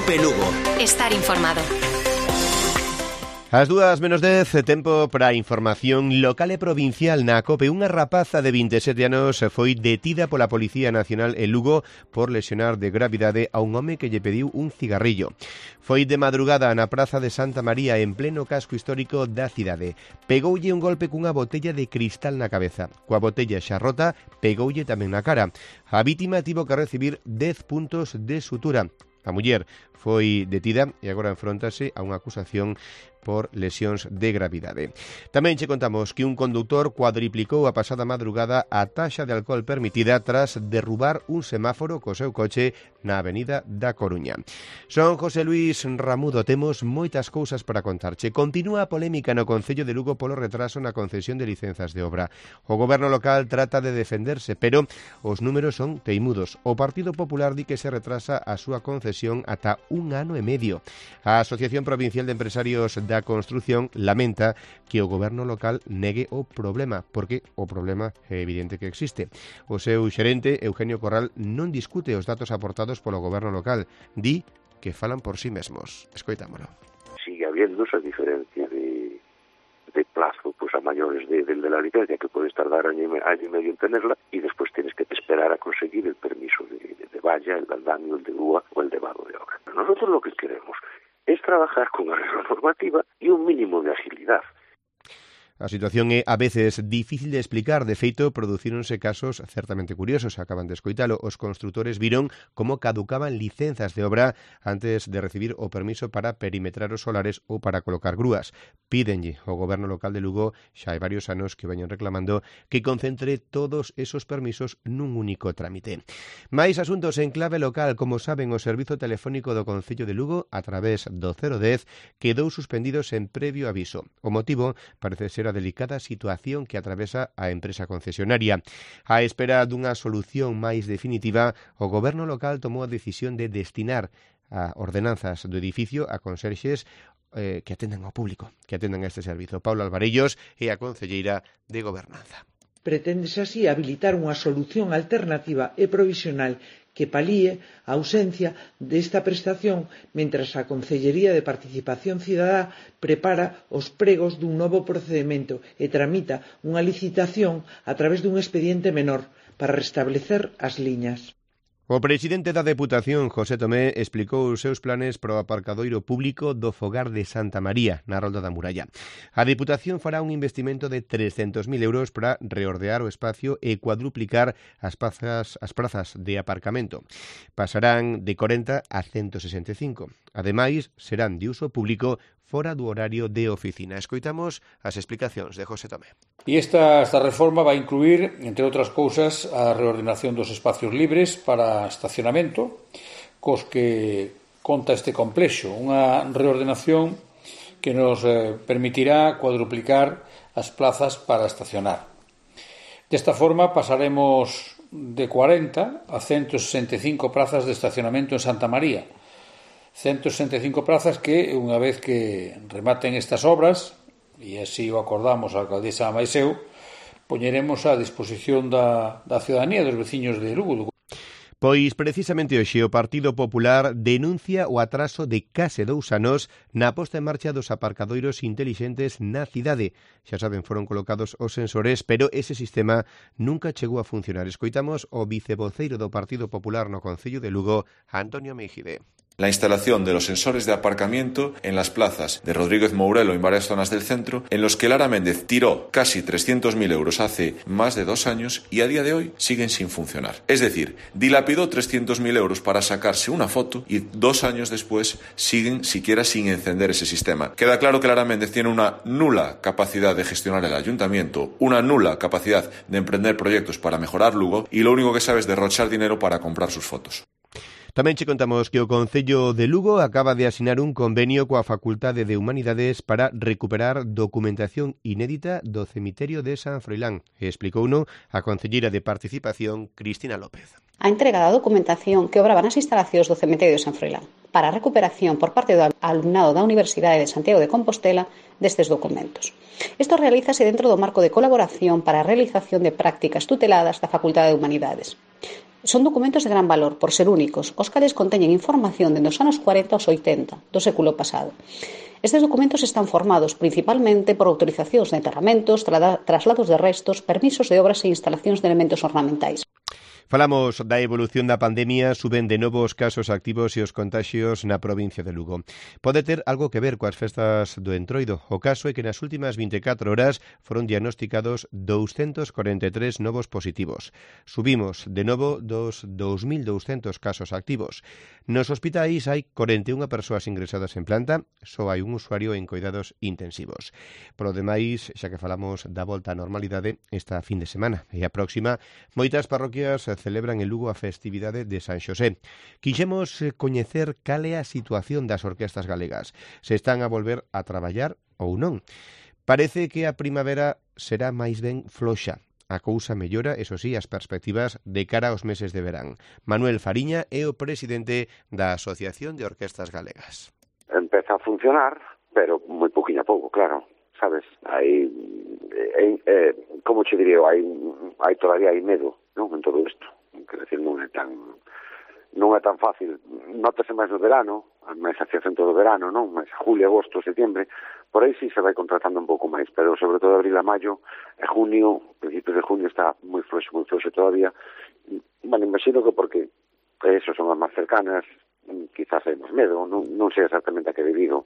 Cope Lugo. Estar informado. As 2:10, tempo para a información local e provincial na COPE. Unha rapaza de 27 anos foi detida pola Policía Nacional en Lugo por lesionar de gravidade a un home que lle pediu un cigarrillo. Foi de madrugada na Praza de Santa María, en pleno casco histórico da cidade. Pegoulle un golpe cunha botella de cristal na cabeza. Coa botella xa rota, pegoulle tamén na cara. A vítima tivo que recibir 10 puntos de sutura. A muller foi detida e agora enfróntase a unha acusación por lesións de gravidade. Tamén che contamos que un conductor cuadriplicou a pasada madrugada a taxa de alcohol permitida tras derrubar un semáforo co seu coche na avenida da Coruña. Son José Luis Ramudo, temos moitas cousas para contarche. Continúa a polémica no Concello de Lugo polo retraso na concesión de licenzas de obra. O goberno local trata de defenderse, pero os números son teimudos. O Partido Popular di que se retrasa a súa concesión ata 1 ano e medio. A Asociación Provincial de Empresarios da Construción lamenta que o goberno local negue o problema, porque o problema é evidente que existe. O seu xerente, Eugenio Corral, non discute os datos aportados polo goberno local. Di que falan por sí mesmos. Escoitámolo. Sigue habiendo esa diferencia de plazo pues a mayores de la licencia, que puedes tardar año y medio en tenerla, y después tienes que esperar a conseguir el permiso de valla, el de andamio, el de grúa o el de vado de obra. Nosotros lo que queremos es trabajar con arreglo normativa y un mínimo de agilidad. A situación é a veces difícil de explicar. De feito, producíronse casos certamente curiosos. Acaban de escoitalo. Os construtores viron como caducaban licenzas de obra antes de recibir o permiso para perimetrar os solares ou para colocar grúas. Pídenlle ao goberno local de Lugo, xa hai varios anos que veñen reclamando, que concentre todos esos permisos nun único trámite. Mais asuntos en clave local. Como saben, o servizo telefónico do Concello de Lugo, a través do 010, quedou suspendidos en previo aviso. O motivo parece ser a delicada situación que atravesa a empresa concesionaria. A espera dunha solución máis definitiva, o goberno local tomou a decisión de destinar a ordenanzas do edificio a conserxes que atendan ao público, que atendan a este servizo. Paula Alvarellos é a concelleira de Gobernanza. Preténdese así habilitar unha solución alternativa e provisional que palíe a ausencia desta prestación mentras a Concellería de Participación Cidadá prepara os pregos dun novo procedemento e tramita unha licitación a través dun expediente menor para restablecer as liñas. O presidente da Deputación, José Tomé, explicou os seus planes para o aparcadoiro público do Fogar de Santa María, na Rolda da Muralla. A Deputación fará un investimento de 300.000 euros para reordear o espacio e cuadruplicar as prazas de aparcamento. Pasarán de 40 a 165. Ademais, serán de uso público fora do horario de oficina. Escoitamos as explicacións de José Tomé. E esta reforma vai incluir, entre outras cousas, a reordenación dos espacios libres para estacionamento, cos que conta este complexo. Unha reordenación que nos permitirá cuadruplicar as plazas para estacionar. Desta forma pasaremos de 40 a 165 plazas de estacionamento en Santa María. 165 plazas que, unha vez que rematen estas obras, e así o acordamos a alcaldesa máis eu, poñeremos a disposición da ciudadanía, dos veciños de Lugo. Pois precisamente hoxe o Partido Popular denuncia o atraso de case 2 anos na posta en marcha dos aparcadoiros intelixentes na cidade. Xa saben, foron colocados os sensores, pero ese sistema nunca chegou a funcionar. Escoitamos o vicevoceiro do Partido Popular no Concello de Lugo, Antonio Meijide. La instalación de los sensores de aparcamiento en las plazas de Rodríguez Mourelo en varias zonas del centro, en los que Lara Méndez tiró casi 300.000 euros hace más de 2 años y a día de hoy siguen sin funcionar. Es decir, dilapidó 300.000 euros para sacarse una foto y 2 años después siguen siquiera sin encender ese sistema. Queda claro que Lara Méndez tiene una nula capacidad de gestionar el ayuntamiento, una nula capacidad de emprender proyectos para mejorar Lugo y lo único que sabe es derrochar dinero para comprar sus fotos. Tamén che contamos que o Concello de Lugo acaba de asinar un convenio coa Facultade de Humanidades para recuperar documentación inédita do cemiterio de San Froilán. Explicouno a concelleira de Participación, Cristina López. A entrega da documentación que obraba nas instalacións do cemiterio de San Froilán para a recuperación por parte do alumnado da Universidade de Santiago de Compostela destes documentos. Isto realízase dentro do marco de colaboración para a realización de prácticas tuteladas da Facultade de Humanidades. Son documentos de gran valor, por ser únicos, os cales conteñen información dende os anos 40 aos 80 do século pasado. Estes documentos están formados principalmente por autorizacións de enterramentos, traslados de restos, permisos de obras e instalacións de elementos ornamentais. Falamos da evolución da pandemia, suben de novo os casos activos e os contaxios na provincia de Lugo. Pode ter algo que ver coas festas do Entroido. O caso é que nas últimas 24 horas foron diagnosticados 243 novos positivos. Subimos de novo dos 2.200 casos activos. Nos hospitais hai 41 persoas ingresadas en planta, só hai un usuario en coidados intensivos. Por o demais, xa que falamos da volta á normalidade esta fin de semana e a próxima, moitas parroquias celebran en Lugo a festividade de San Xosé. Quixemos coñecer cal é a situación das orquestas galegas, se están a volver a traballar ou non. Parece que a primavera será máis ben floxa. A cousa mellora, eso sí, as perspectivas de cara aos meses de verán. Manuel Fariña é o presidente da Asociación de Orquestas Galegas. Empeza a funcionar, pero moi poquinho a pouco, claro. Sabes, hai como che diría, todavía hai medo, non, en todo isto. Quer decir, non é tan fácil. Nótase máis no verano, máis hacia centro do verano, non? Máis julio, agosto, setembro, por aí sí se vai contratando un pouco máis, pero sobre todo abril a maio e junio, principios de junio está moi floxo todavía. Bueno, imagino que porque eso son as máis cercanas, quizás hai máis medo, non sei exactamente a que debido.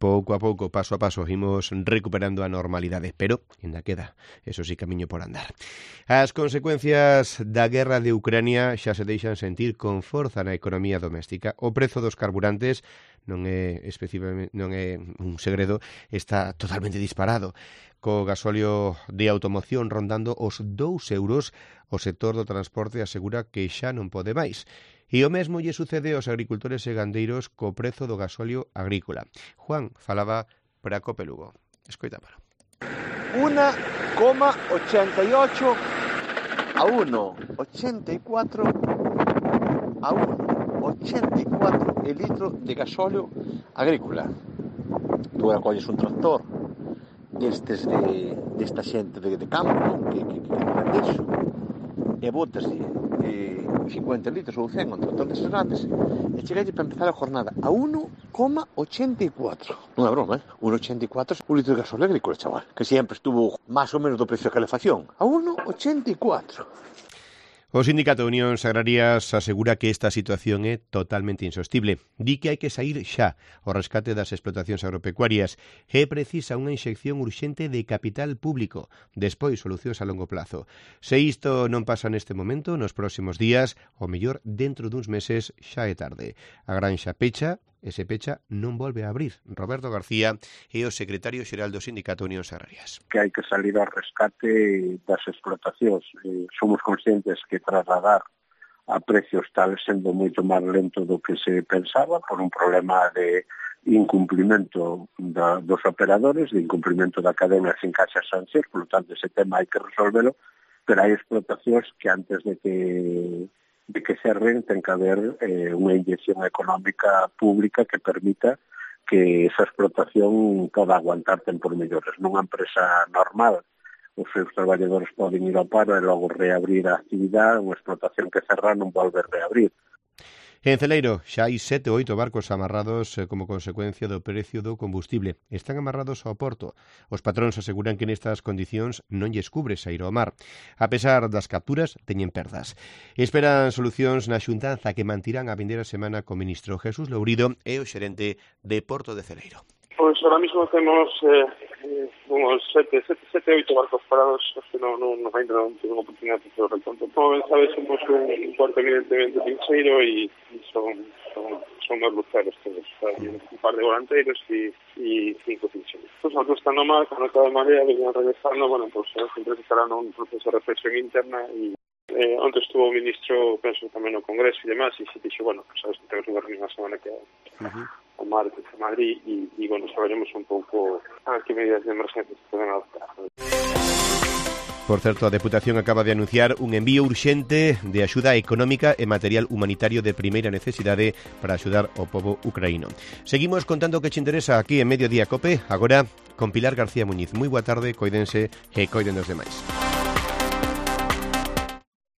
Pouco a pouco, paso a paso, imos recuperando a normalidade, pero ainda queda, eso sí, camiño por andar. As consecuencias da guerra de Ucrania xa se deixan sentir con forza na economía doméstica. O prezo dos carburantes non é un segredo, está totalmente disparado. Co gasóleo de automoción rondando os 2 euros, o sector do transporte asegura que xa non pode máis. E o mesmo lle sucede aos agricultores e gandeiros co prezo do gasóleo agrícola. Juan falaba para Cope Lugo. Escoitámolo. 1,88 a 1,84 a 1,84 el litro de gasóleo agrícola. Tú acolles un tractor desta xente de campo que vende iso e botas de 50 litros ou 100 entre todos estes grandes e chegalle para empezar a jornada a 1,84. Non é broma, 1,84 un litro de gasóleo agrícola, chaval, que sempre estuvo máis ou menos do precio de calefacción, a 1,84. O Sindicato de Unións Agrarias asegura que esta situación é totalmente insostible. Di que hai que saír xa ao rescate das explotacións agropecuarias e precisa unha inxección urxente de capital público, despois solucións a longo plazo. Se isto non pasa neste momento, nos próximos días, o mellor dentro duns meses xa é tarde. A granxa pecha, e se pecha non volve a abrir. Roberto García é o secretario xeral do Sindicato de Unións Agrarias. Que hai que salir ao rescate das explotacións. Somos conscientes que trasladar a precios tal sendo moito máis lento do que se pensaba por un problema de incumplimento dos operadores, de incumplimento da cadena sin caixas sanxes, por lo tanto ese tema hai que resolvelo, pero hai explotacións que antes de que cerren ten que haber unha inyección económica pública que permita que esa explotación poda aguantar tempos mellores. Nunha empresa normal, os seus traballadores poden ir ao paro e logo reabrir a actividade, unha explotación que cerra non volve a reabrir. En Celeiro xa hai 7 ou 8 barcos amarrados como consecuencia do precio do combustible. Están amarrados ao porto. Os patróns aseguran que nestas condicións non lles cubre saír ao mar. A pesar das capturas, teñen perdas. Esperan solucións na xuntanza que mantirán a vindeira semana co ministro Jesús Lourido e o xerente de Porto de Celeiro. Pues ahora mismo tenemos unos 7 8 barcos parados, que no tengo oportunidad de hacer el recuento. Como bien sabes, somos un puerto evidentemente pincheiro y son dos luceros todos. Hay un par de volanteros y 5 pincheiros. Pues nosotros estando mal, con otra de marea, venían regresando, bueno, pues siempre estarán en un proceso de reflexión interna y antes estuvo o ministro, penso, tamén no Congreso e demás, e se dixo, bueno, pues, sabes, temos unha reunión a semana que o martes en Madrid e bueno, saberemos un pouco a que medidas de emergencia se poden adoptar. Por certo, a Deputación acaba de anunciar un envío urxente de axuda económica e material humanitario de primeira necesidade para axudar ao pobo ucraíno. Seguimos contando o que che interesa aquí en Mediodía Cope, agora con Pilar García Muñiz. Moi boa tarde, coídense e coiden dos demais.